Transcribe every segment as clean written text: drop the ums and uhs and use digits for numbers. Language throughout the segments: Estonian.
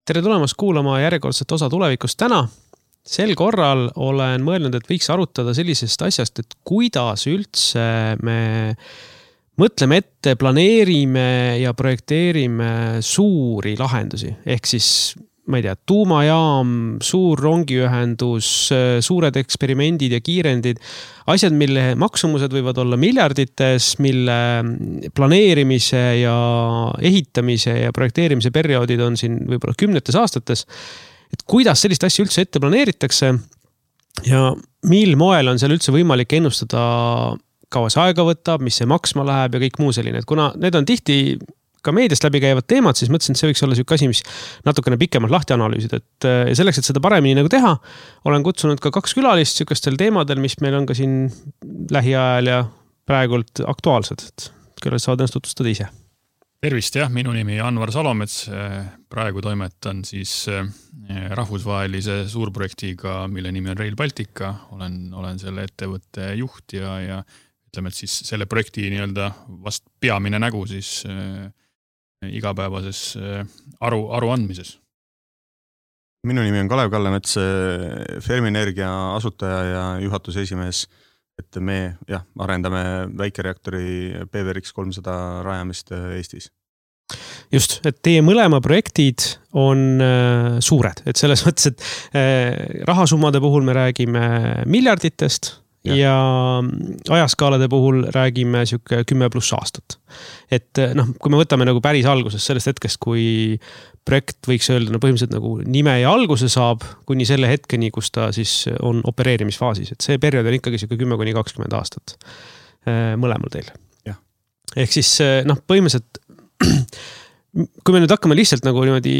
Tere tulemast kuulama järjekordset osa tulevikust täna. Sel korral olen mõelnud, et võiks arutada sellisest asjast, et kuidas üldse me mõtleme ette, planeerime ja projekteerime suuri lahendusi. Ehk siis, ma ei tea, tuumajaam, suur rongiühendus, suured eksperimendid ja kiirendid, asjad, mille maksumused võivad olla miljardites, mille planeerimise ja ehitamise ja projekteerimise perioodid on siin võib-olla 10 aastates. Et kuidas sellist asja üldse ette planeeritakse ja mil moel on seal üldse võimalik ennustada, kaua see aega võtab, mis see maksma läheb ja kõik muu selline. Et kuna need on tihti ka meediast läbi käivad teemad, siis mõtlesin, et see võiks olla selline asi, mis natukene pikemalt lahti analüüsida. Et selleks, et seda paremini nagu teha, olen kutsunud ka 2 külalist sellistel teemadel, mis meil on ka siin lähiajal ja praegult aktuaalsed. Et küll saavad ennast tutvustada ise. Tervist, jah, minu nimi Anvar Salomets, praegu toimetan siis rahvusvahelise suurprojektiga, mille nimi on Rail Baltica, olen selle ettevõtte juht ja ütleme, et siis selle projekti nii-öelda vast peamine nägu siis igapäevases aru andmises. Minu nimi on Kalev Kallemets, Fermienergia asutaja ja juhatuse esimees. Et me arendame väikereaktori PVRX 300 rajamist Eestis. Just, et teie mõlema projektid on suured. Et selles mõttes, et rahasummade puhul me räägime miljarditest ja ajaskaalade puhul räägime 10+ aastat. Et kui me võtame nagu päris alguses sellest hetkest, kui projekt võiks öelda põhimõtteliselt nagu nime ja alguse saab, kuni selle hetkeni, kus ta siis on opereerimisfaasis. Et see periood on ikkagi 10–20 aastat mõlemal teil. Ja. Ehk siis põhimõtteliselt, kui me nüüd hakkame lihtsalt nagu niimoodi,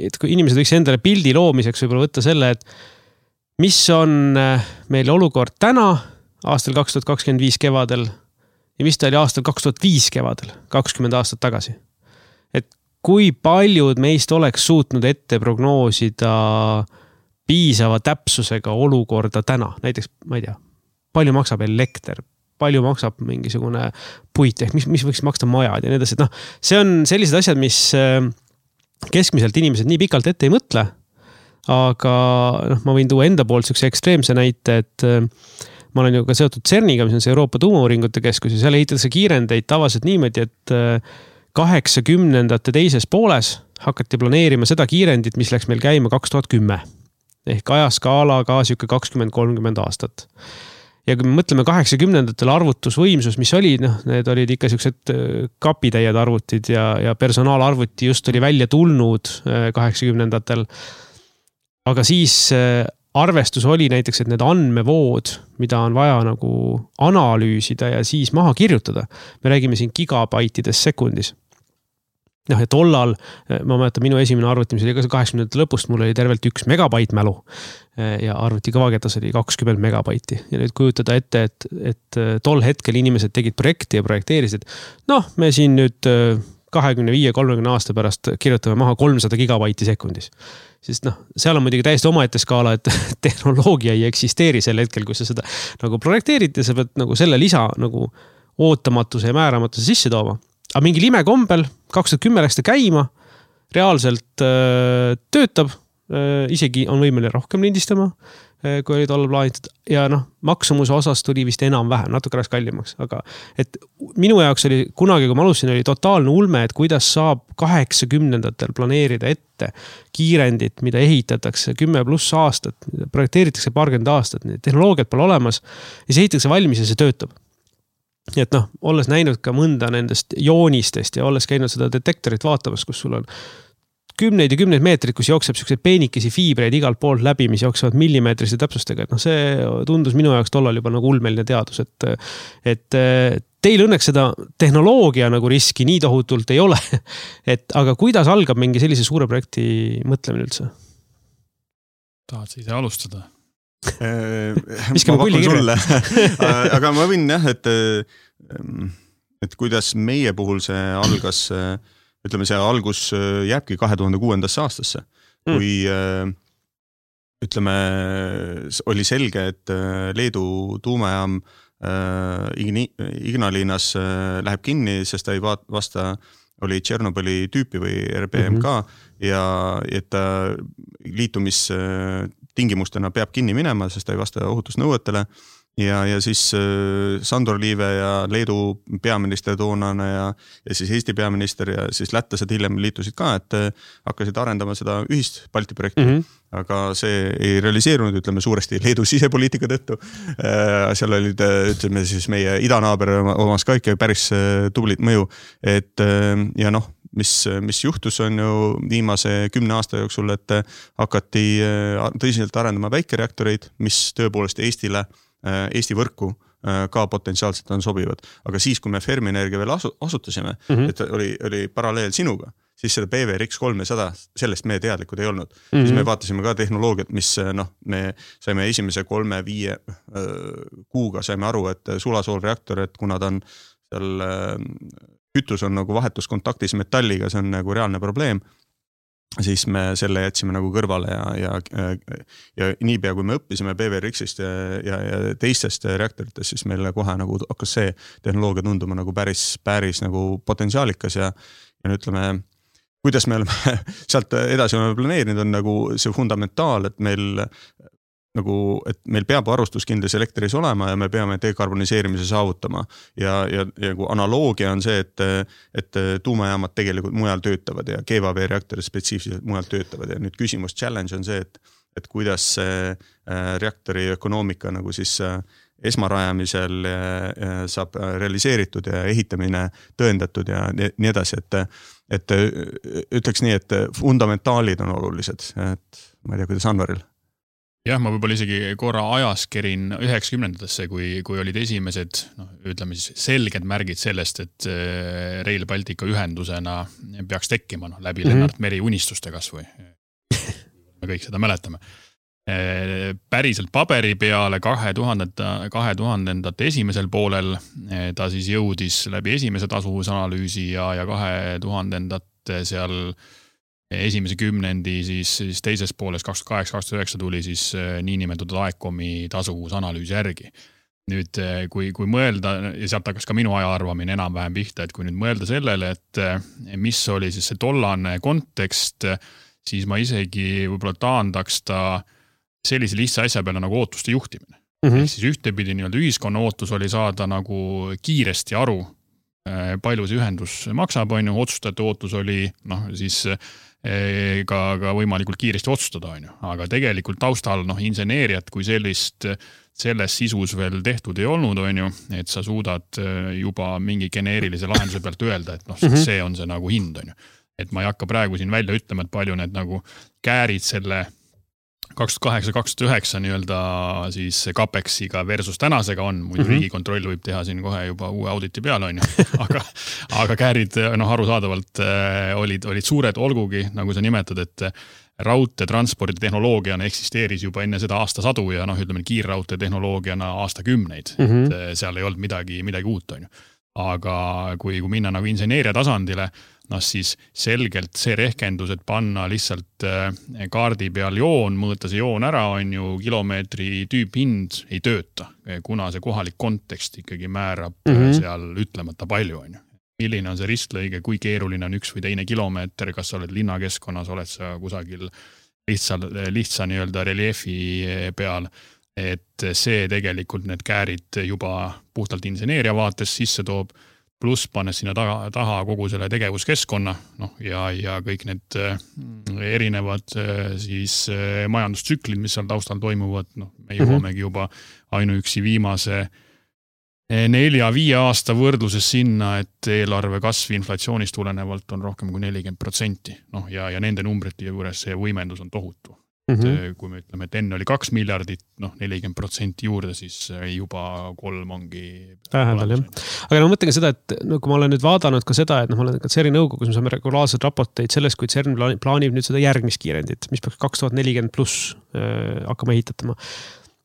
et kui inimesed võiks endale pildi loomiseks võib-olla võtta selle, et mis on meil olukord täna, aastal 2025 kevadel ja mis ta oli aastal 2005 kevadel, 20 aastat tagasi. Et kui paljud meist oleks suutnud ette prognoosida piisava täpsusega olukorda täna? Näiteks, ma ei tea, palju maksab elekter, palju maksab mingisugune puit, ehk mis võiks maksta majad ja nii edasi. See on sellised asjad, mis keskmiselt inimesed nii pikalt ette ei mõtle, aga ma võin tuua enda poolt sellise ekstreemse näite, et ma olen ju ka seotud CERNiga, mis on see Euroopa tuumauuringute keskus ja seal ehitatakse kiirendeid tavaliselt niimoodi, et 80ndate teises pooles hakati planeerima seda kiirendit, mis läks meil käima 2010. Ehk ajaskaalaga 20-30 aastat. Ja kui me mõtleme 80ndatel arvutusvõimsus, mis oli, need olid ikka sellised kapitäied arvutid ja personaalarvuti just oli välja tulnud 80ndatel. Aga siis arvestus oli näiteks, et need andmevood, mida on vaja nagu analüüsida ja siis maha kirjutada. Me räägime siin gigabaitides sekundis. Ja tollal, ma mäletan, minu esimene arvuti, mis oli ka 80ndate lõpust, mul oli tervelt 1 megabait mälu ja arvuti kõvaketas oli 20 megabaiti. Ja nüüd kujutada ette, et tol hetkel inimesed tegid projekti ja projekteerisid. Me siin nüüd 25-30 aasta pärast kirjutame maha 300 gigabaiti sekundis. Sest seal on muidugi täiesti omaette skaala, et tehnoloogia ei eksisteeri sel hetkel, kui sa seda nagu projekteerid ja sa pead nagu selle lisa nagu ootamatuse ja määramatuse sisse tooma. Aga mingi limekombel 2010 läks ta käima, reaalselt töötab, isegi on võimeline rohkem lindistama, kui oli tollal plaanitud. Ja maksumuse osas tuli vist enam vähem, natuke rääks kallimaks. Aga et minu jaoks oli kunagi, kui ma alustasin, oli totaalne ulme, et kuidas saab 80ndatel planeerida ette kiirendit, mida ehitatakse 10+ aastat, projekteeritakse 20 aastat, tehnoloogiat pole olemas ja see ehitatakse valmis ja see töötab. Et olles näinud ka mõnda nendest joonistest ja olles käinud seda detektorit vaatamas, kus sul on 10 ja 10 meetrid, kus jookseb sellised peenikesi fiibreid igalt poolt läbi, mis jooksevad millimeetrise täpsustega. Et see tundus minu jaoks tollal juba nagu ulmeline teadus. Et teil õnneks seda tehnoloogia nagu riski nii tohutult ei ole. Aga kuidas algab mingi sellise suure projekti mõtlemine üldse? Tahad sa ise alustada? ma pakun sulle. Aga ma võin et kuidas meie puhul see algas, ütleme see algus jääbki 2006. aastasse, kui ütleme oli selge, et Leedu tuumajaam Ignalinas läheb kinni, sest ta ei vasta, oli Tšernobõli tüüpi või RBMK ja et ta liitumistingimustena peab kinni minema, sest ta ei vasta ohutusnõuetele. Ja siis Sandor Liive ja Leedu peaminister toonane ja siis Eesti peaminister ja siis lätlased hiljem liitusid ka, et hakkasid arendama seda ühist Balti projekti. Aga see ei realiseerunud, ütleme suuresti Leedu sisepoliitika tõttu. Seal olid, ütleme siis meie idanaaber omas ka ikka päris tublit mõju. Ja noh, mis juhtus on ju viimase 10 aasta jooksul, et hakati tõsiselt arendama väikereaktoreid, mis tõepoolest Eesti võrku ka potentsiaalselt on sobivad. Aga siis, kui me Fermi-Energia veel asutasime, et oli paralleel sinuga, siis seda PVRX3 ja 100, sellest me teadlikud ei olnud. Siis me vaatasime ka tehnoloogiat, mis me saime esimese 3-5 kuuga saime aru, et sulasoolreaktor, et kuna ta on seal kütus on nagu vahetuskontaktis metalliga, see on nagu reaalne probleem, siis me selle jätsime nagu kõrvale ja niipea, kui me õppisime PVRX-ist ja teistest reaktoritest, siis meile kohe nagu hakkas see tehnoloogia tunduma nagu päris nagu potentsiaalikas ja ütleme, kuidas me oleme sealt edasi oleme planeerinud, on nagu see fundamentaal, et meil peab varustuskindlas elektris olema ja me peame dekarboniseerimise saavutama. Ja analoogia on see, et tuumajaamad tegelikult mujal töötavad ja GVV-reaktorid spetsiifiliselt mujal töötavad. Ja nüüd küsimus, challenge on see, et kuidas see reaktori ökonoomika nagu siis esmarajamisel saab realiseeritud ja ehitamine tõendatud ja nii edasi, et ütleks nii, et fundamentaalid on olulised, et ma ei tea, kuidas Anvaril. Jah, ma võib-olla isegi korra ajas kerin 90-ndatesse, kui olid esimesed, ütleme siis selged märgid sellest, et Rail Baltica ühendusena peaks tekkima läbi Lennart Meri unistuste kasvõi. Me kõik seda mäletame. Päriselt paberi peale 2000-ndate esimesel poolel ta siis jõudis läbi esimese tasuvusanalüüsi ja 2000-ndate seal esimese kümnendi siis teises pooles 2008-2009 tuli siis niinimetatud AECOM-i tasuvusanalüüsi järgi. Nüüd, kui mõelda, ja sealt hakkas ka minu ajaarvamine enam-vähem pihta, et kui nüüd mõelda sellele, et mis oli siis see tollane kontekst, siis ma isegi võib-olla taandaks ta sellise lihtsa asja peale nagu ootuste juhtimine. Ehk siis ühtepidi ühiskonna ootus oli saada nagu kiiresti aru, palju see ühendus maksab, otsustajate ootus oli siis ka võimalikult kiiresti otsustada, aga tegelikult taustal inseneeriat kui selles sisus veel tehtud ei olnud, et sa suudad juba mingi geneerilise lahenduse pealt öelda, et see on see nagu hind, et ma ei hakka praegu siin välja ütlema, et palju need nagu käärid selle 2008-2009 nii-öelda siis Capexiga versus tänasega on, muidu Riigikontroll võib teha siin kohe juba uue auditi peale, aga käärid arusaadavalt olid suured, olgugi, nagu sa nimetad, et raudteetranspordi tehnoloogiana eksisteeris juba enne seda aastasadu ja ütleme kiirraudtee tehnoloogiana aastakümneid, et seal ei olnud midagi uut, aga kui minna nagu inseneeria tasandile, siis selgelt see rehkendus, et panna lihtsalt kaardi peal joon, mõõta see joon ära, kilomeetri tüüphind ei tööta, kuna see kohalik kontekst ikkagi määrab seal ütlemata palju. Milline on see ristlõige, kui keeruline on üks või teine kilomeeter, kas sa oled linnakeskkonnas, oled sa kusagil lihtsa nii-öelda reliefi peal, et see tegelikult need käärid juba puhtalt inseneeria vaates sisse toob, pluss pannes sinna taha kogu selle tegevuskeskkonna ja kõik need erinevad siis majandustsüklid, mis seal taustal toimuvad, me jõuamegi juba ainuüksi viimase 4-5 aasta võrdluses sinna, et eelarve kasv inflatsioonist tulenevalt on rohkem kui 40%. Ja nende numbrite juures see võimendus on tohutu. Kui me ütleme, et enne oli 2 miljardit, 40% juurde, siis juba 3 ongi vähendal, jah. Aga ma mõtlengi seda, et kui ma olen nüüd vaadanud ka seda, et ma olen ka CERN-i nõukogus, me saame regulaarselt raporteid sellest, kui CERN plaanib nüüd seda järgmist kiirendit, mis peaks 2040 pluss hakkama ehitatama.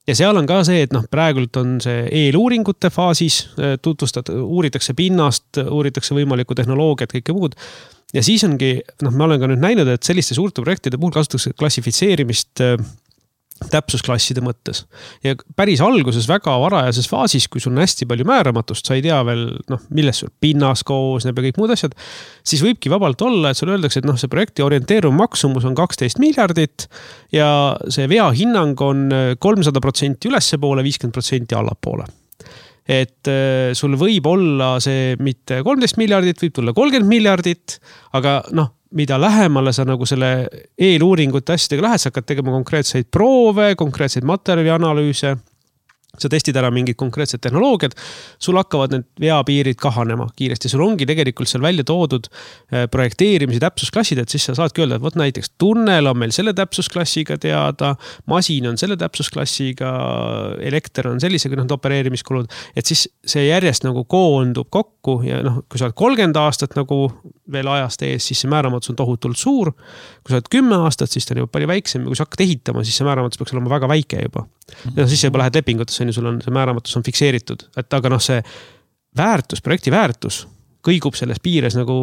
Ja seal on ka see, et praegult on see eeluuringute faasis, uuritakse pinnast, uuritakse võimalikku tehnoloogiat, kõike muud. Ja siis ongi, ma olen ka nüüd näinud, et selliste suurte projektide puhul kasutatakse klassifitseerimist täpsusklasside mõttes. Ja päris alguses väga varajases faasis, kui sul on hästi palju määramatust, sa ei tea veel, millest sul pinnas koosneb ja kõik muud asjad, siis võibki vabalt olla, et sul öeldakse, et see projekti orienteeruv maksumus on 12 miljardit ja see vea hinnang on 300% ülespoole, 50% allapoole. Et sul võib olla see mitte 13 miljardit, võib tulla 30 miljardit, aga mida lähemale sa nagu selle eeluuringute asjadega lähed, sa hakkad tegema konkreetseid proove, konkreetseid materjalianalüüse, sa testid ära mingid konkreetsed tehnoloogiad, sul hakkavad need veapiirid kahanema kiiresti. Sul ongi tegelikult seal välja toodud projekteerimise täpsusklassid, et siis sa saadki öelda, et võt näiteks tunnel on meil selle täpsusklassiga teada, masin on selle täpsusklassiga, elekter on sellisega opereerimiskulud, et siis see järjest nagu koondub kokku ja kui sa oled 30 aastat nagu veel ajast ees, siis see määramatus on tohutult suur. Kui sa oled 10 aastat, siis ta on juba palju väiksem ja kui sa hakkad ehitama, siis see määramatus peaks olema väga väike juba. Ja siis juba lähed lepingutesse, sul on see määramatus on fikseeritud, et aga see väärtus, projekti väärtus kõigub selles piires nagu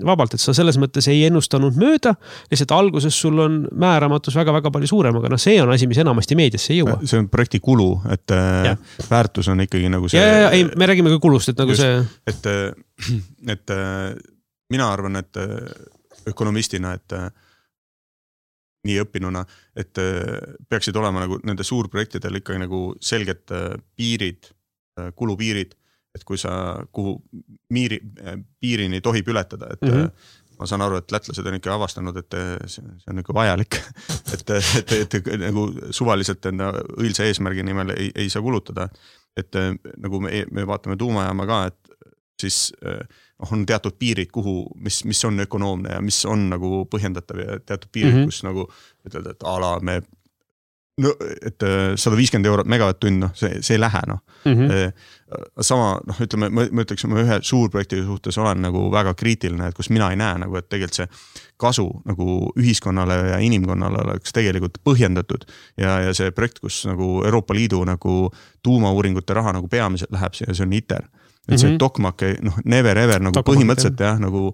vabalt, et sa selles mõttes ei ennustanud mööda, lihtsalt alguses sul on määramatus väga-väga palju suurem, aga see on asi, mis enamasti meediasse ei jõua. See on projekti kulu, et väärtus on ikkagi nagu see... Ei, me räägime ka kulust, et nagu just, see... Et mina arvan, et ökonomistina, et nii õppinuna, et peaksid olema nagu nende suurprojektidel ikkagi nagu selged piirid, kulupiirid, et kui sa kuhu piirini tohib ületada, et ma saan aru, et lätlased on ikka avastanud, et see on ikka vajalik, et nagu suvaliselt enda õilsa eesmärgi nimel ei saa kulutada, et nagu me vaatame tuumajaama ka, et siis on teatud piirid, mis on ökonoomne ja mis on nagu põhjendatav ja teatud piirid, kus nagu ütelda, et ala me et 150 eurot megavatt-tund, see ei lähe, Sama, ütleme, ma ütleks, ma ühe suurprojekti suhtes olen nagu väga kriitiline, et kus mina ei näe nagu, et tegelikult see kasu nagu ühiskonnale ja inimkonnale oleks tegelikult põhjendatud ja see projekt, kus nagu Euroopa Liidu nagu tuumauuringute raha nagu peamiselt läheb, see on ITER. Et see Tokmak, never ever nagu põhimõtteliselt nagu,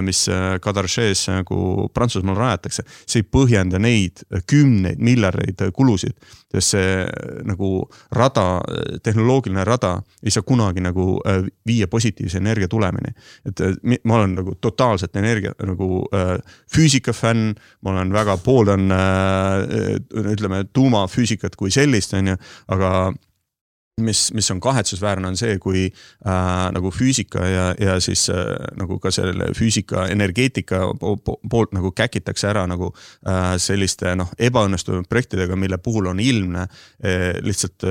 mis Kadaršees nagu Prantsusmaal rajatakse, see ei põhjenda neid 10 miljardeid kulusid, sest see nagu rada, tehnoloogiline rada ei saa kunagi nagu viia positiivse energia tulemini. Et ma olen nagu totaalselt energia nagu füüsikafänn, ma olen väga pooldan ütleme tuumafüüsikat kui sellist, aga mis on kahetsusväärne on see, kui nagu füüsika ja siis nagu ka selle füüsika energeetika poolt nagu käkitakse ära nagu selliste ebaõnnestunud projektidega, mille puhul on ilmne lihtsalt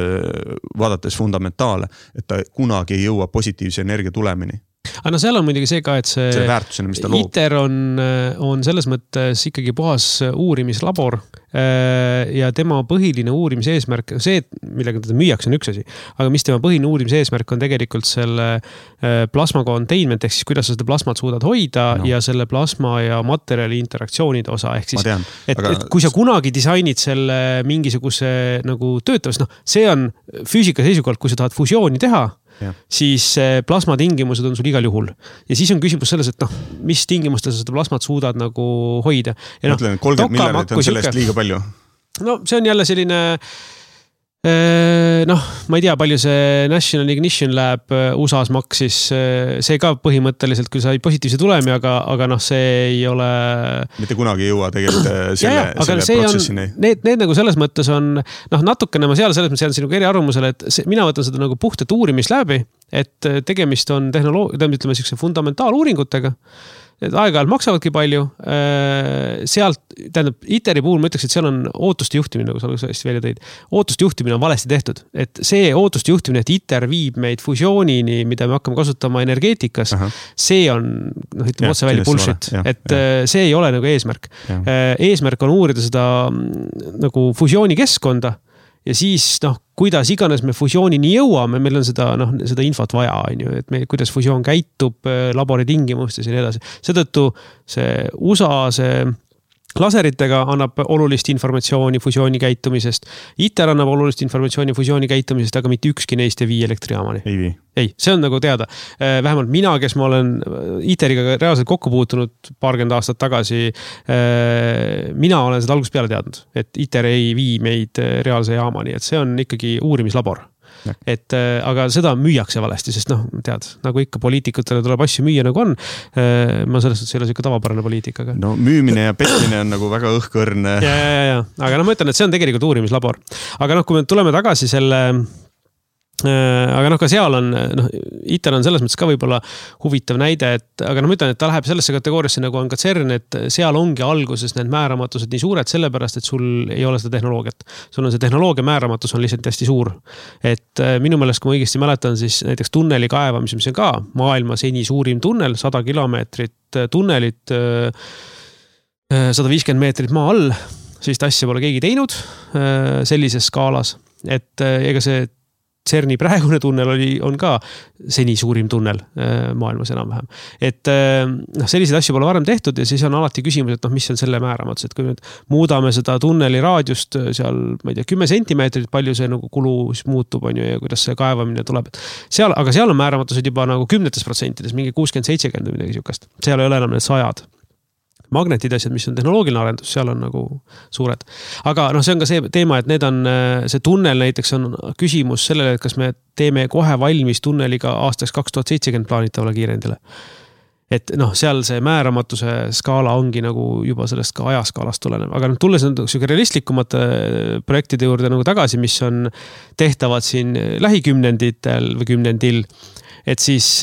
vaadates fundamentaale, et ta kunagi ei jõua positiivse energia tulemini. Aga seal on muidugi see ka, et see väärtusena, mis ta loob. ITER on selles mõttes ikkagi puhas uurimislabor ja tema põhiline uurimise eesmärk, see, millega teda müüaks, on üks asi, aga mis tema põhiline uurimise eesmärk on tegelikult selle plasma containment, ehk siis kuidas sa seda plasmat suudad hoida ja selle plasma ja materjali interaktsioonide osa, ehk siis, et kui sa kunagi disainid selle mingisuguse nagu töötavast, see on füüsika seisukohalt, kui sa tahad fusiooni teha, siis plasma tingimused on sul igal juhul. Ja siis on küsimus selles, et mis tingimustes sa seda plasmat suudad nagu hoida. Ja mõtlen, 30 miljardit on sellest liiga palju. See on jälle selline ma ei tea, palju see National Ignition Lab USA-s maksis, see ka põhimõtteliselt, kui sai positiivse tulemi, aga see ei ole... Mitte kunagi ei jõua tegelikult selle protsessini. Need nagu selles mõttes on, natukene ma selles mõttes jään sinuga eriarvamusele, et mina võtan seda nagu puhtat uurimist läbi, et tegemist on ütleme sellise fundamentaaluuringutega, et aeg-ajalt maksavadki palju, sealt, tähendab, ITER-i puhul ma ütleks, et seal on ootuste juhtimine, nagu sa hästi välja tõid. Ootuste juhtimine on valesti tehtud, et see ootuste juhtimine, et ITER viib meid fusioonini, mida me hakkame kasutama energeetikas, see on, ütleme otse välja bullshit, et see ei ole nagu eesmärk. Eesmärk on uurida seda nagu fusiooni keskkonda ja siis, kuidas iganes me fusioonini jõuame, meil on seda infot vaja, et kuidas fusioon käitub labori tingimustes ja nii edasi. Seetõttu see USA, see laseritega annab olulist informatsiooni fusiooni käitumisest. ITER annab olulist informatsiooni fusiooni käitumisest, aga mitte ükski neist ei vii elektrijaamani. Ei, see on nagu teada. Vähemalt mina, kes ma olen ITER-iga reaalselt kokku puutunud paarkümmend aastat tagasi, mina olen seda algusest peale teadnud, et ITER ei vii meid reaalse jaamani, et see on ikkagi uurimislabor. Et, aga seda müüakse valesti, sest tead, nagu ikka poliitikutele tuleb asju müüa nagu on. Ma selles suhtes ei ole siuke tavapärane poliitikaga. No müümine ja petmine on nagu väga õhkõrne. Ja. Aga ma ütlen, et see on tegelikult uurimislabor. Aga kui me tuleme tagasi selle... Aga ka seal on, ITER on selles mõttes ka võib-olla huvitav näide, aga ma ütlen, et ta läheb sellesse kategooriasse nagu on ka CERN, et seal ongi alguses need määramatused nii suured sellepärast, et sul ei ole seda tehnoloogiat. Sul on see tehnoloogia määramatus on lihtsalt hästi suur. Et minu meelest, kui ma õigesti mäletan, siis näiteks tunneli kaevamise, mis on ka maailma seni suurim tunnel, 100 kilomeetrit tunnelit, 150 meetrit maa all, siis asja pole keegi teinud sellises skaalas. Et ega see CERN-i praegune tunnel on ka seni suurim tunnel maailmas enam-vähem. Et selliseid asju pole varem tehtud ja siis on alati küsimus, et mis on selle määramatus, et kui nüüd muudame seda tunneli raadiust seal, ma ei tea, 10 sentimeetrit, palju see nagu kulu muutub on ju ja kuidas see kaevamine tuleb. Aga seal on määramatused juba nagu 10%, mingi 60-70 või midagi siukest. Seal ei ole enam need 100. Magnetid asjad, mis on tehnoloogiline arendus, seal on nagu suured. Aga see on ka see teema, et need on, see tunnel näiteks on küsimus sellele, et kas me teeme kohe valmis tunneliga aastaks 2070 plaanitavale kiirendile. Et seal see määramatuse skaala ongi nagu juba sellest ka ajaskaalast tulenev. Aga tulles selline realistlikumate projektide juurde nagu tagasi, mis on tehtavad siin lähikümnenditel või kümnendil, et siis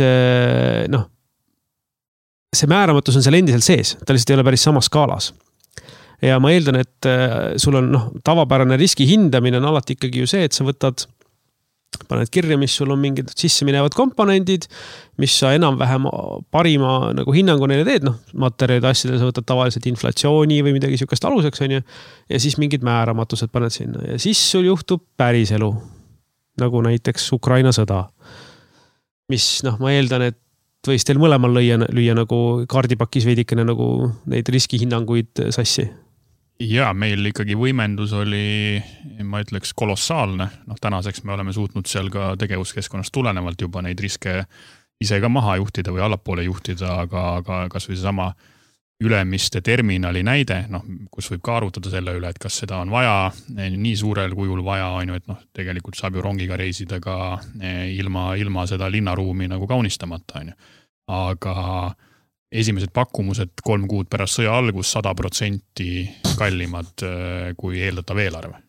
see määramatus on seal endiselt sees, ta lihtsalt ei ole päris samas skaalas. Ja ma eeldan, et sul on tavapärane riski hindamine on alati ikkagi ju see, et sa paned kirja, mis sul on mingid sisse minevad komponendid, mis sa enam-vähem parima nagu hinnangu neile teed, materjalide asjadele sa võtad tavaliselt inflatsiooni või midagi siukest aluseks, on ju, ja siis mingid määramatused paned sinna. Ja siis sul juhtub päris elu, nagu näiteks Ukraina sõda, mis ma eeldan, et võis teil mõlemal lüüa nagu kaardipakis veidikene nagu neid riskihinnanguid sassi? Ja, meil ikkagi võimendus oli, ma ütleks, kolossaalne. Tänaseks me oleme suutnud seal ka tegevuskeskkonnast tulenevalt juba neid riske ise ka maha juhtida või allapoole juhtida, aga kas või see sama Ülemiste terminali näide, kus võib ka arutada selle üle, et kas seda on vaja, nii suurel kujul vaja on ju, et tegelikult saab ju rongiga reisida ka ilma seda linnaruumi nagu kaunistamata on ju. Aga esimesed pakkumused 3 kuud pärast sõja algus 100% kallimad kui eeldatav eelarve.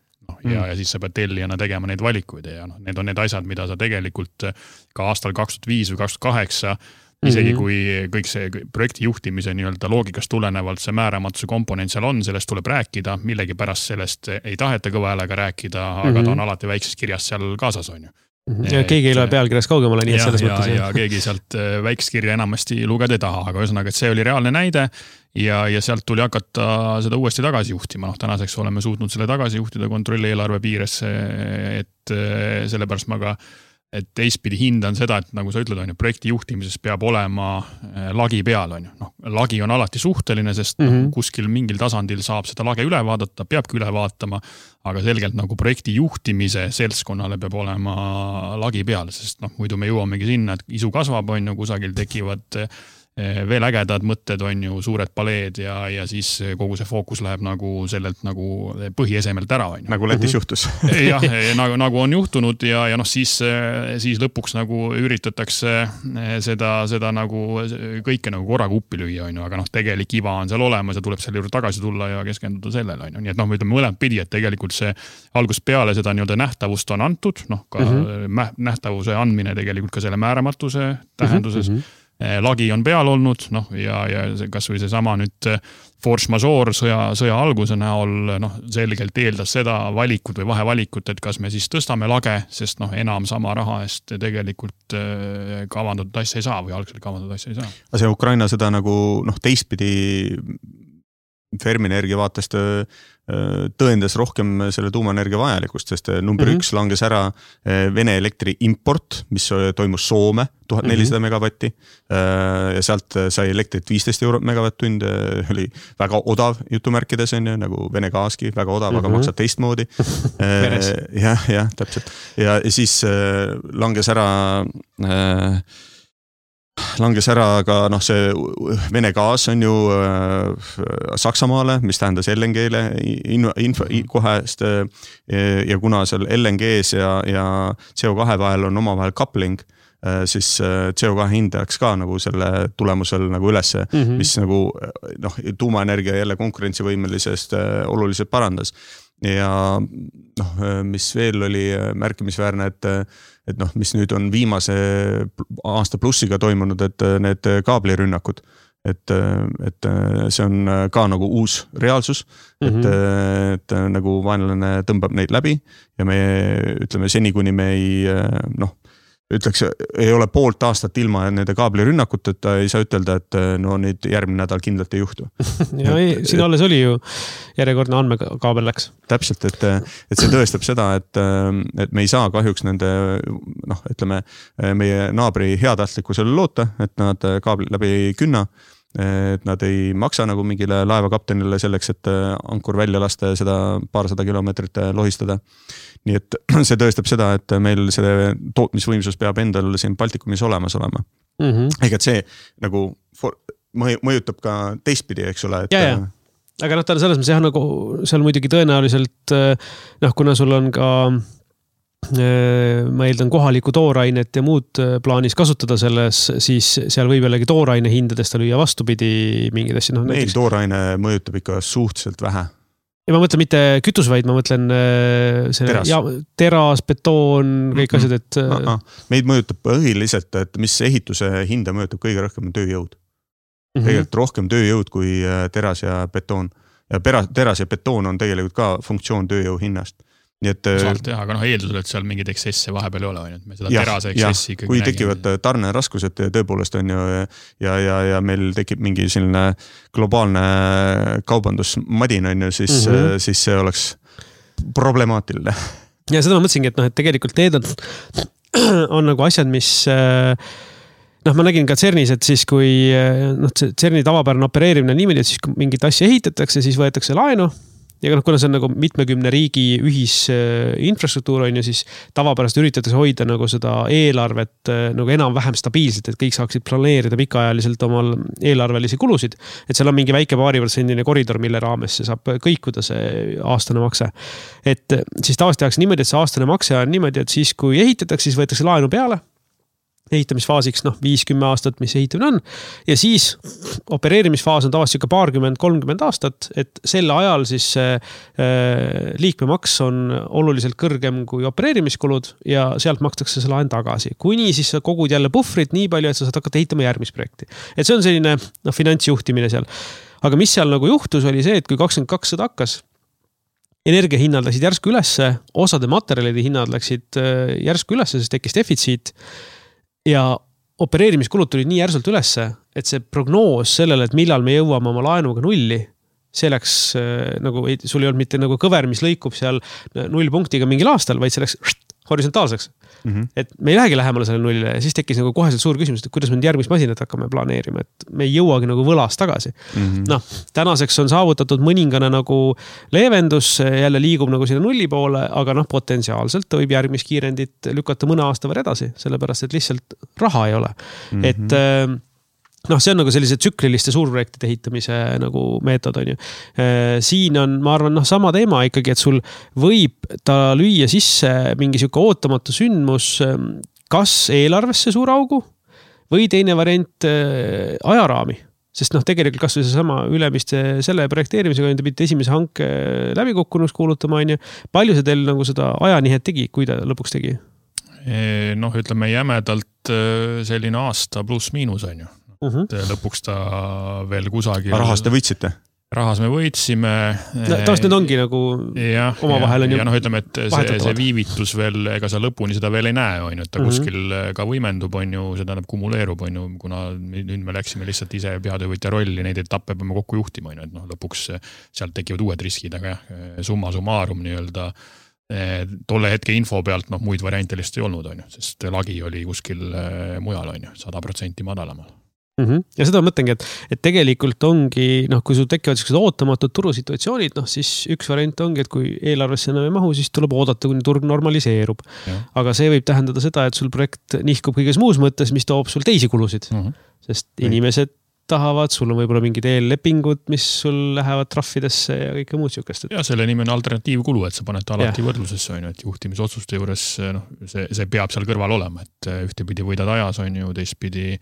Ja siis sa pead tellijana tegema neid valikuid ja need on need asjad, mida sa tegelikult ka aastal 2005 või 2008 isegi kui kõik see projekti juhtimise loogikast tulenevalt see määramatuse komponent seal on, sellest tuleb rääkida, millegi pärast sellest ei taheta kõva häälega rääkida, aga ta on alati väikses kirjas seal kaasas on ju. Ja keegi ei loe pealkirjas kaugemale, nii et selles mõttes. Ja keegi sealt väikest kirja enamasti lugeda ei taha, aga ühesõnaga, et see oli reaalne näide ja sealt tuli hakata seda uuesti tagasi juhtima. Tänaseks oleme suutnud selle tagasi juhtida kontrolli eelarve piiresse, et sellepärast ma ka et teistpidi hindan seda, et nagu sa ütled, projekti juhtimises peab olema lagi peal. Lagi on alati suhteline, sest kuskil mingil tasandil saab seda lage üle vaadata, peabki üle vaatama, aga selgelt nagu projekti juhtimise seltskonnale peab olema lagi peal, sest muidu me jõuamegi sinna, et isu kasvab, kusagil tekivad veel ägedad mõtted on ju, suured paleed ja siis kogu see fookus läheb nagu sellelt nagu põhiesemelt ära. Nagu Lätis juhtus. Jah, nagu on juhtunud ja siis lõpuks nagu üritatakse seda nagu kõike nagu korraga uppi lüüa, aga tegelik iva on seal olemas ja tuleb selle juurde tagasi tulla ja keskenduda sellele. Nii et me ütleme mõlemad pidi, et tegelikult see algusest peale seda nähtavust on antud, ka nähtavuse andmine tegelikult ka selle määramatuse tähenduses. Lagi on peal olnud, ja kas või see sama nüüd force majeure sõja alguse näol selgelt eeldas seda valikut või vahevalikut, et kas me siis tõstame lage, sest enam sama raha eest tegelikult kavandatud asja ei saa või algselt kavandatud asja ei saa. See Ukraina sõda nagu teistpidi Fermi-Energia vaatest tõendas rohkem selle tuumaenergia vajalikust, sest number 1 langes ära Vene elektri import, mis toimus Soome 1400 megavatti ja sealt sai elektrit 15 eurot megavatt-tund, oli väga odav jutumärkides on ju, nagu Vene gaaski, väga odav, aga maksab teistmoodi. jah, täpselt. Ja siis langes ära ka see Vene gaas on ju Saksamaale, mis tähendas LNG-le kohest ja kuna seal LNG-s ja CO2 vahel on omavahel coupling, siis CO2 hind läks ka nagu selle tulemusel nagu ülesse, mis nagu tuumaenergia jälle konkurentsivõimelisest oluliselt parandas. Ja mis veel oli märkimisväärne, et mis nüüd on viimase aasta plussiga toimunud, et need kaablirünnakud, et see on ka nagu uus reaalsus, et nagu vaenlane tõmbab neid läbi ja me ütleme seni, kuni me ei ole poolt aastat ilma nende kaablirünnakuteta, ei saa ütelda, et nüüd järgmine nädal kindlalt ei juhtu. Ja siin alles oli ju järjekordne andmekaabel läks. Täpselt, et see tõestab seda, et me ei saa kahjuks nende, ütleme, meie naabri heatahtlikkusele loota, et nad kaabli läbi ei künna, et nad ei maksa nagu mingile laevakaptenile selleks, et ankur välja lasta ja seda paarsada kilomeetrit lohistada. Nii et see tõestab seda, et meil see tootmisvõimsus peab endal siin Baltikumis olemas olema. Ega et see nagu mõjutab ka teistpidi, eks ole. Ja. Aga ta on selles mõttes jah, nagu seal muidugi tõenäoliselt, kuna sul on ka ma eeldan kohaliku toorainet ja muud plaanis kasutada selles, siis seal võib jällegi tooraine hindadest lüüa vastupidi mingid asja. Meil tooraine mõjutab ikka suhteliselt vähe. Ja ma mõtlen mitte kütus, vaid ma mõtlen teras, betoon, kõik asjad, et... Meid mõjutab põhiliselt, et mis ehituse hinda mõjutab kõige rohkem tööjõud. Tegelikult rohkem tööjõud kui teras ja betoon. Ja teras ja betoon on tegelikult ka funktsioon tööjõu hinnast. Saalt teha, aga eeldusel, et seal mingid eksesse vahepeal ei ole, et me seda terase eksessi ikkagi kui tekivad tarneraskused tõepoolest on ju ja meil tekib mingi selline globaalne kaubandusmadin on ju, siis see oleks problemaatiline. Ja seda ma mõtlesingi, et tegelikult need on nagu asjad, mis ma nägin ka CERNis, et siis kui CERNi tavapärane opereerimine niimoodi, et siis kui mingit asja ehitatakse, siis võetakse laenu. Ja kuna see on nagu mitmekümne riigi ühisinfrastruktuur on ju, siis tavapärast üritatakse hoida nagu seda eelarvet nagu enam-vähem stabiilselt, et kõik saaksid planeerida pikaajaliselt omal eelarvelisi kulusid. Et seal on mingi väike paariprotsendine koridor, mille raames see saab kõikuda see aastane makse. Et siis tavaliselt tehakse niimoodi, et see aastane makse on niimoodi, et siis kui ehitatakse, siis võetakse laenu peale. Ehitamisfaasiks 5-10 aastat, mis ehitamine on. Ja siis opereerimisfaas on tavaliselt 20-30 aastat, et selle ajal siis liikmemaks on oluliselt kõrgem kui opereerimiskulud ja sealt makstakse see laen tagasi. Kuni siis sa kogud jälle puhvrit nii palju, et sa saad hakata ehitama järgmist projekti. Et see on selline finantsjuhtimine seal. Aga mis seal nagu juhtus oli see, et kui 2022 hakkas, energiahinnad läksid järsku ülesse, osade materjalide hinnad läksid järsku ülesse, sest tekkis defitsiit. Ja opereerimiskulud tuli nii järsult ülesse, et see prognoos sellele, et millal me jõuame oma laenuga nulli, see läks nagu, sul ei olnud mitte nagu kõver, mis lõikub seal 0 punktiga mingil aastal, vaid see läks horisontaalseks. Et me ei lähegi lähemale selle nullile ja siis tekkis nagu koheselt suur küsimus, et kuidas me järgmist masinat hakkame planeerima, et me ei jõuagi nagu võlast tagasi. Tänaseks on saavutatud mõningane nagu leevendus, jälle liigub nagu sinna nulli poole, aga potentsiaalselt võib järgmist kiirendit lükata mõne aasta võrra edasi, sellepärast, et lihtsalt raha ei ole. Et see on nagu sellise tsükliliste suurprojektide ehitamise nagu meetod on ju. Siin on, ma arvan, sama teema ikkagi, et sul võib ta lüüa sisse mingi siuke ootamatu sündmus, kas eelarvesse suur augu või teine variant ajaraami. Sest tegelikult kas või see sama ülemiste selle projekteerimisega, te pidite esimese hanke läbikukkunuks kuulutama, on ju. Palju see teil nagu seda ajanihet tegi, kui ta lõpuks tegi? Ütleme jämedalt selline aasta pluss miinus on ju. Lõpuks ta veel kusagil... Rahast te võitsite? rahas me võitsime. Taas need ongi nagu omavahel on ju. Ja ütleme, et see viivitus veel, ega sa lõpuni seda veel ei näe, on ju, et ta kuskil ka võimendub, on ju, seda kumuleerub, on ju, kuna nüüd me läksime lihtsalt ise peatöövõtja rolli, neid etappe peame kokku juhtima, on ju, et lõpuks sealt tekivad uued riskid, aga summa summarum nii-öelda tolle hetke info pealt muid variante lihtsalt ei olnud, on ju, sest lagi oli kuskil mujal, on ju, 100% madalamal. Ja seda mõtlengi, et tegelikult ongi, kui sul tekivad sellised ootamatud turusituatsioonid, siis üks variant ongi, et kui eelarvesse enam ei mahu, siis tuleb oodata, kuni turg normaliseerub. Aga see võib tähendada seda, et sul projekt nihkub kõiges muus mõttes, mis toob sul teisi kulusid. Sest inimesed tahavad, sul on võib-olla mingid eellepingud, mis sul lähevad trahvidesse ja kõike muud siukest. Ja selle nimi on alternatiivkulu, et sa paned alati võrdlusesse, on ju, et juhtimisotsuste juures see peab seal kõrval olema, et ühtepidi võidad ajas, on ju, teistpidi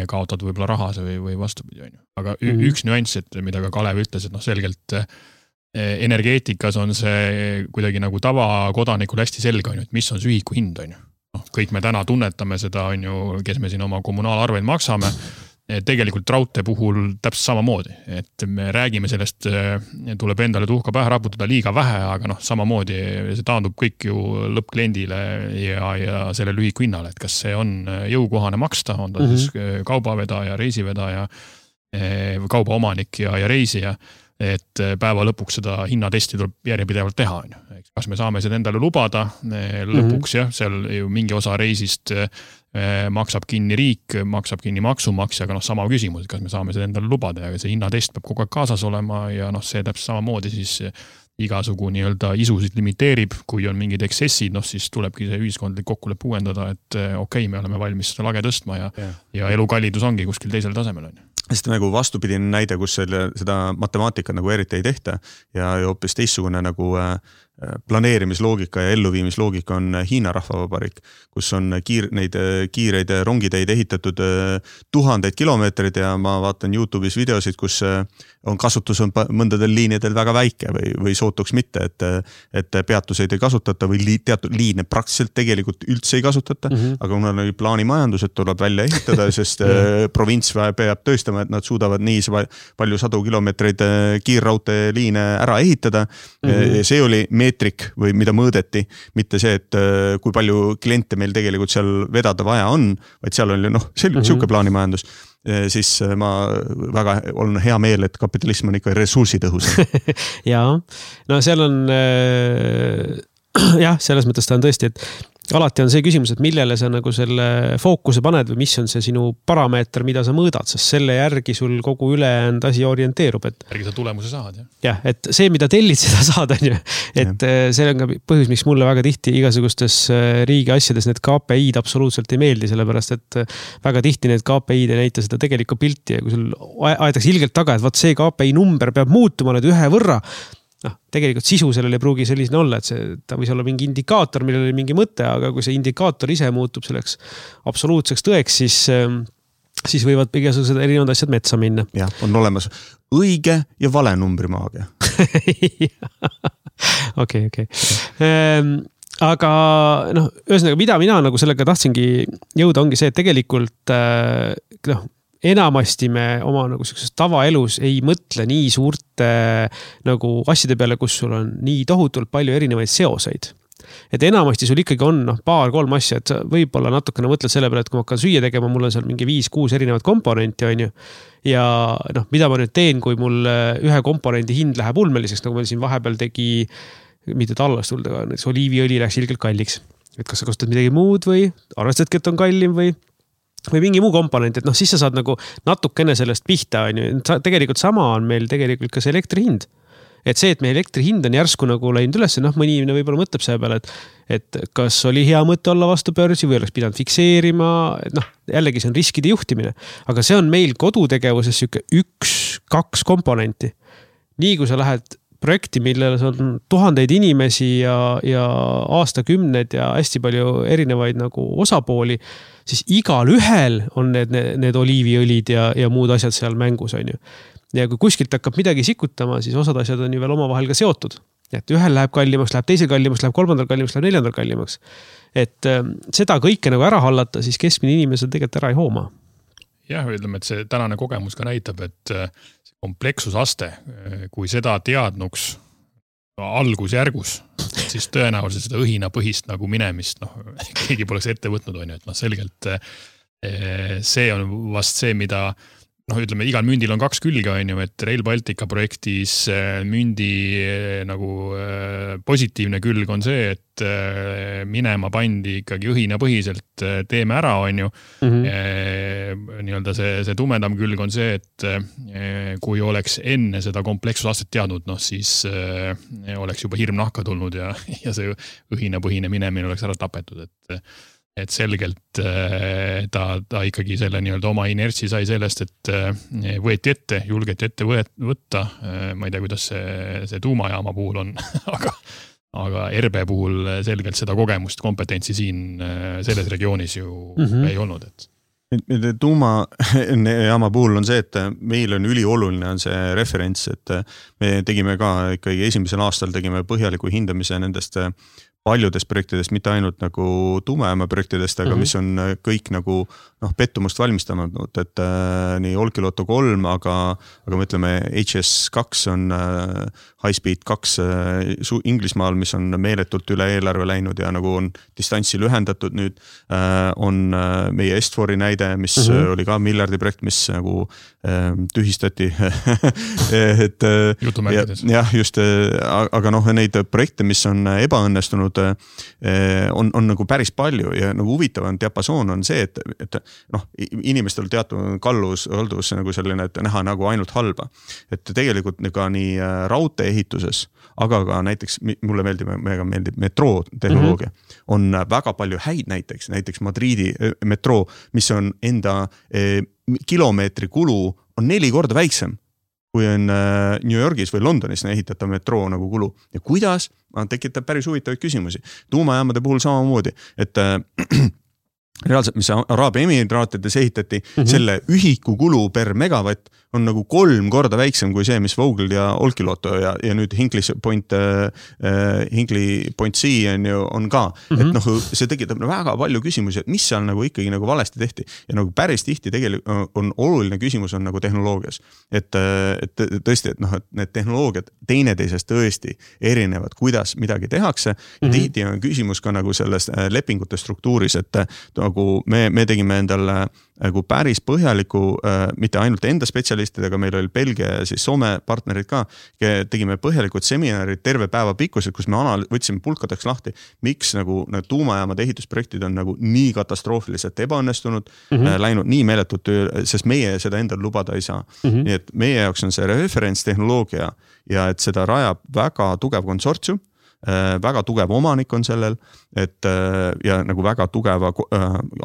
kaotad võib-olla rahas või vastupidi, on ju. Aga üks nüanss, et mida ka Kalev ütles, et selgelt energeetikas on see kuidagi nagu tavakodanikul hästi selge, on ju, et mis on see ühiku hind, on ju. Kõik me täna tunnetame seda, on ju, kes me siin oma kommunaalarveid maksame, tegelikult raudtee puhul täpselt samamoodi, et me räägime sellest, tuleb endale tuhka pähe raputada liiga vähe, aga samamoodi see taandub kõik ju lõppkliendile ja selle lühiku hinnale, et kas see on jõukohane maksta, on ta siis kaubavedaja, reisivedaja, kaubaomanik ja reisija, et päeva lõpuks seda hinnatesti tuleb järjepidevalt teha, on ju. Kas me saame seda endale lubada, lõpuks seal ju mingi osa reisist maksab kinni riik, maksab kinni maksumaksja, aga sama küsimus, et kas me saame seda endale lubada ja see hinnatest peab kogu aeg kaasas olema ja see täpselt samamoodi siis igasugu nii-öelda isusid limiteerib, kui on mingid eksessid, siis tulebki see ühiskondlik kokkulepe uuendada, et okei, me oleme valmis seda lage tõstma ja elukallidus ongi kuskil teisel tasemel, on ju. Sest nagu vastupidine näide, kus seda matemaatikat nagu eriti ei tehta ja hoopis teistsugune nagu planeerimisloogika ja elluviimisloogika on Hiina rahvavabariik, kus on neid kiireid rongiteid ehitatud tuhandeid kilomeetrid ja ma vaatan YouTube'is videosid, kus on kasutus on mõndadel liinidel väga väike või sootuks mitte, et peatuseid ei kasutata või teatud liine praktiliselt tegelikult üldse ei kasutata, aga kuna oli plaanimajandus, et tuleb välja ehitada, sest provints peab tõestama, et nad suudavad nii palju sadu kilomeetreid kiirraudteeliine ära ehitada. See oli meetrik või mida mõõdeti, mitte see, et kui palju kliente meil tegelikult seal vedada vaja on, vaid seal oli selline plaanimajandus, siis ma väga olen hea meel, et kapitalism on ikka ressursitõhus. Jaa, seal on selles mõttes ta on tõesti, et alati on see küsimus, et millele sa nagu selle fookuse paned või mis on see sinu parameeter, mida sa mõõdad, sest selle järgi sul kogu ülejäänud asi orienteerub. Järgi sa tulemuse saad, jah? Jah, et see, mida tellid, seda saad, on ju. Et see on ka põhjus, miks mulle väga tihti igasugustes riigi asjades need KPI-d absoluutselt ei meeldi, sellepärast et väga tihti need KPI-d ei näita seda tegelikku pilti ja kui sul aetakse ilgelt taga, et vaat see KPI number peab muutuma nüüd ühe võrra, tegelikult sisu sellel ei pruugi sellisena olla, et ta võis olla mingi indikaator, millel oli mingi mõte, aga kui see indikaator ise muutub selleks absoluutseks tõeks, siis võivad igasugused erinevad asjad metsa minna. Jah, on olemas õige ja vale numbrimaagia. Okei. Aga ühesõnaga, mida mina nagu sellega tahtsingi jõuda, ongi see, et tegelikult enamasti me oma nagu sellises tavaelus ei mõtle nii suurte nagu asjade peale, kus sul on nii tohutult palju erinevaid seoseid. Et enamasti sul ikkagi on 2-3 asja, et võib-olla natukene mõtled selle peale, et kui ma hakkan süüa tegema, mul on seal mingi 5-6 erinevat komponenti, on ju. Ja mida ma nüüd teen, kui mul ühe komponendi hind läheb ulmeliseks, nagu meil siin vahepeal tegi, mitte talvast tulda, näiteks oliiviõli läks ilgelt kalliks. Et kas sa kasutad midagi muud või arvestadki, et on kallim või mingi muu komponent, et siis sa saad nagu natukene sellest pihta, on ju. Tegelikult sama on meil tegelikult ka see elektri hind. Et see, et meie elektri hind on järsku nagu läinud üles, mõni inimene võib-olla mõtleb selle peale, et kas oli hea mõte olla vastu börsi või oleks pidanud fikseerima, et jällegi see on riskide juhtimine. Aga see on meil kodutegevuses 1-2 komponenti. Nii kui sa lähed projekti, millel on tuhandeid inimesi ja aastakümned ja hästi palju erinevaid nagu osapooli, siis igal ühel on need oliiviõlid ja muud asjad seal mängus, on ju. Ja kui kuskilt hakkab midagi sikutama, siis osad asjad on ju veel omavahel ka seotud. Et ühel läheb kallimaks, läheb teisel kallimaks, läheb kolmandal kallimaks, läheb neljandal kallimaks. Et seda kõike nagu ära hallata, siis keskmine inimesel tegelikult ära ei hooma. jah, ütleme, et see tänane kogemus ka näitab, et see komplekssusaste, kui seda teadnuks algusjärgus, siis tõenäoliselt seda õhinapõhist nagu minemist, keegi poleks ette võtnud, on ju, et selgelt see on vast see, mida ütleme, igal mündil on kaks külge, on ju, et Rail Baltica projektis mündi nagu positiivne külg on see, et minema pandi ikkagi õhinapõhiselt teeme ära, on ju. Nii-öelda see tumedam külg on see, et kui oleks enne seda komplekssusastet teadnud, siis oleks juba hirm nahka tulnud ja see õhinapõhine minemine oleks ära tapetud, et selgelt ta ikkagi selle nii-öelda oma inertsi sai sellest, et võeti ette, julgeti ette võtta. Ma ei tea, kuidas see tuumajaama puhul on, aga RB puhul selgelt seda kogemust, kompetentsi siin selles regioonis ju ei olnud. Tuumajaama puhul on see, et meil on ülioluline on see referents, et me tegime ka ikkagi esimesel aastal tegime põhjaliku hindamise nendest paljudest projektidest, mitte ainult nagu tuumajaama projektidest, aga mis on kõik nagu pettumust valmistanud, et nii Olkiluoto 3, aga me ütleme HS2 on High Speed 2 Inglismaal, mis on meeletult üle eelarve läinud ja nagu on distantsi lühendatud nüüd, on meie Est4-i näide, mis oli ka miljardi projekt, mis nagu tühistati. Jah, just, aga neid projekte, mis on ebaõnnestunud, on nagu päris palju ja nagu huvitav diapasoon on see, et inimestel teatud kallus nagu selline, et näha nagu ainult halba. Et tegelikult ka nii raudtee ehituses, aga ka näiteks mulle meeldib metroo tehnoloogia. On väga palju häid näiteks Madridi metroo, mis on enda kilomeetri kulu on 4 korda väiksem kui on New Yorgis või Londonis ehitatav metroo nagu kulu. Ja kuidas? Tekitab päris huvitavaid küsimusi. Tuumajaamade puhul samamoodi, et reaalselt, mis Araabia Emiraatides ehitati, selle ühiku kulu per megavatt on nagu 3 korda väiksem kui see, mis Vogel ja Olkiluoto ja nüüd Hinkley Point C on ka. Et see tekitab väga palju küsimusi, et mis seal nagu ikkagi nagu valesti tehti. Ja nagu päris tihti tegelikult on oluline küsimus on nagu tehnoloogias. Et tõesti, et need tehnoloogiad teineteisest tõesti erinevad, kuidas midagi tehakse. Ja tihti on küsimus ka nagu selles lepingute struktuuris, et nagu me tegime endale nagu päris põhjaliku, mitte ainult enda spetsialistidega, meil oli Belgia ja siis Soome partnerid ka, tegime põhjalikud seminarid terve päeva pikkused, kus me võtsime pulkadeks lahti, miks nagu tuumajaamade ehitusprojektid on nagu nii katastroofiliselt ebaõnnestunud, läinud nii meeletult, sest meie seda endal lubada ei saa. Nii et meie jaoks on see referentstehnoloogia ja et seda rajab väga tugev konsortsium, väga tugev omanik on sellel, et ja nagu väga tugeva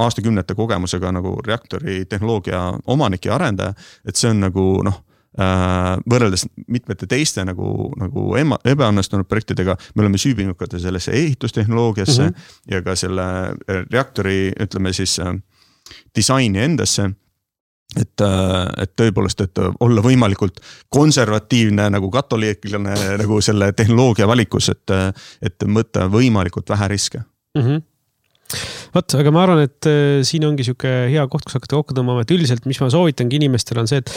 aastakümnete kogemusega nagu reaktori tehnoloogia omanik ja arendaja, et see on nagu võrreldes mitmete teiste nagu ebaõnnestunud projektidega, me oleme süübinud ka sellesse ehitustehnoloogiasse ja ka selle reaktori, ütleme siis, disaini endasse. Et tõepoolest, et olla võimalikult konservatiivne nagu katoliiklane nagu selle tehnoloogia valikus, et mõtta võimalikult vähe riske. Võt, aga ma arvan, et siin ongi siuke hea koht, kus hakata kokku tõmbama, et üldiselt, mis ma soovitangi inimestele on see, et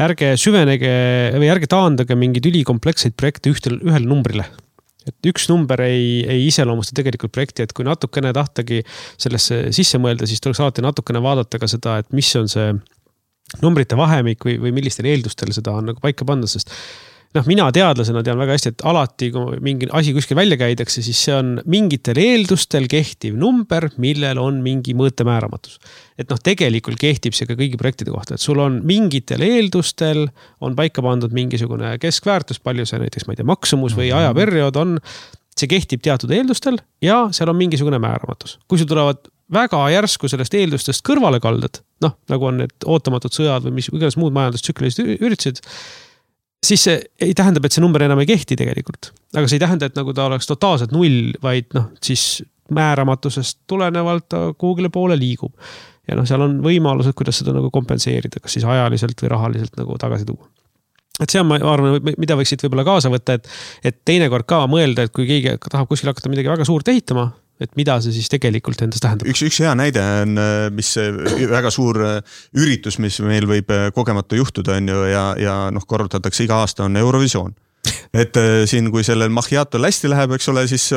ärge süvenege või ärge taandage mingeid ülikompleksseid projekte ühel numbrile. Et üks number ei iseloomusta tegelikult projekti, et kui natukene tahtagi sellesse sisse mõelda, siis tuleks alati natukene vaadata ka seda, et mis on see numbrite vahemik või millistel eeldustel seda on nagu paika panna, sest mina teadlasena tean väga hästi, et alati kui mingi asi kuskil välja käidakse, siis see on mingitel eeldustel kehtiv number, millel on mingi mõõtemääramatus. Et tegelikult kehtib see ka kõigi projektide kohta, et sul on mingitel eeldustel on paika pandud mingisugune keskväärtus, palju see näiteks, ma ei tea, maksumus või ajaperiood on, see kehtib teatud eeldustel ja seal on mingisugune määramatus. Kui sul tulevad väga järsku sellest eeldustest kõrvale kaldad, nagu on need ootamatud sõjad või mis iganes muud majandustsüklilised üritused, siis see ei tähendab, et see number enam ei kehti tegelikult. Aga see ei tähenda, et nagu ta oleks totaalselt 0, vaid siis määramatusest tulenevalt ta kuhugile poole liigub. Ja seal on võimalused, kuidas seda nagu kompenseerida, kas siis ajaliselt või rahaliselt nagu tagasi tuua. Et see on, ma arvan, mida võiksid võib-olla kaasa võtta, et teinekord ka mõelda, et kui keegi tahab kuskil hakata midagi väga suurt ehitama, et mida see siis tegelikult endast tähendab. Üks hea näide on, mis väga suur üritus, mis meil võib kogemata juhtuda on ju, ja korrutatakse iga aasta, on Eurovisioon. Et siin, kui sellel Macchiato hästi läheb, eks ole, siis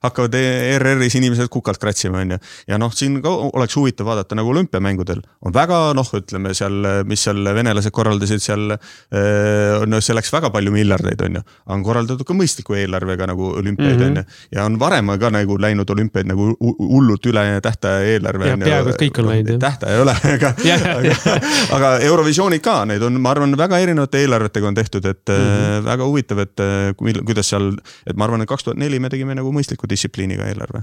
hakkavad ERR-is inimesed kukalt kratsima, on ju. Ja siin ka oleks huvitav vaadata nagu olümpiamängudel. On väga, ütleme seal, mis seal venelased korraldasid seal, see läks väga palju miljardeid, on ju. On korraldatud ka mõistliku eelarvega nagu olümpiaid, on ju. Ja on varem ka nagu läinud olümpiaid nagu hullult üle tähtaja eelarve. Ja peaaegu kõik on läinud. Tähtaja ei ole, aga Eurovisioonid ka, neid on, ma arvan, väga erinevate eelarvetega on tehtud, et väga huvitav, et kuidas seal, et ma arvan, et 2004 me tegime nagu mõistliku distsipliiniga eelarve.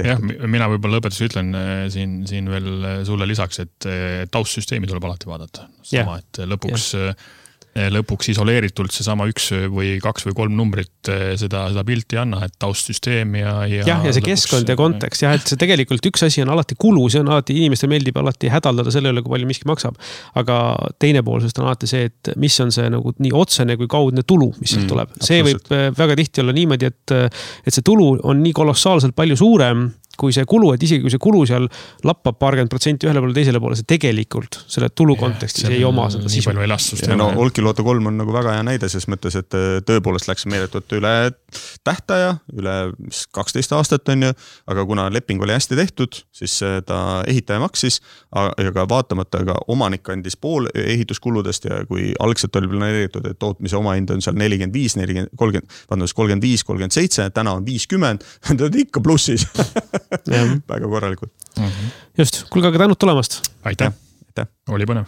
Jah, mina võib-olla lõpetus ütlen siin veel sulle lisaks, et taustsüsteemi tuleb alati vaadata. Sama, et lõpuks isoleeritult seesama 1 või 2 või 3 numbrit seda pilti anna, et taustsüsteem ja see keskkond ja kontekst, et see tegelikult üks asi on alati kulu, see on alati, inimestel meeldib alati hädaldada selle üle, kui palju miski maksab, aga teine pool sest on alati see, et mis on see nagu nii otsene kui kaudne tulu, mis sealt tuleb. See võib väga tihti olla niimoodi, et see tulu on nii kolossaalselt palju suurem kui see kulu, et isegi kui see kulu seal lappab 40% ühele poole teisele poole, see tegelikult selle tulu kontekstis ei oma seda sisu. Olki Loto 3 on nagu väga hea näide, ses mõttes, et tõepoolest läks meeletult üle tähtaja, üle 12 aastat on ju, aga kuna leping oli hästi tehtud, siis ta ehitaja maksis, aga vaatamata ka omanik andis pool ehituskuludest ja kui algselt oli planeeritud, et tootmise omahind on seal 35, 37, täna on 50, ta on ikka plussis. Väga korralikult. Just, kuulge, aga tänud tulemast. Aitäh. Oli põnev.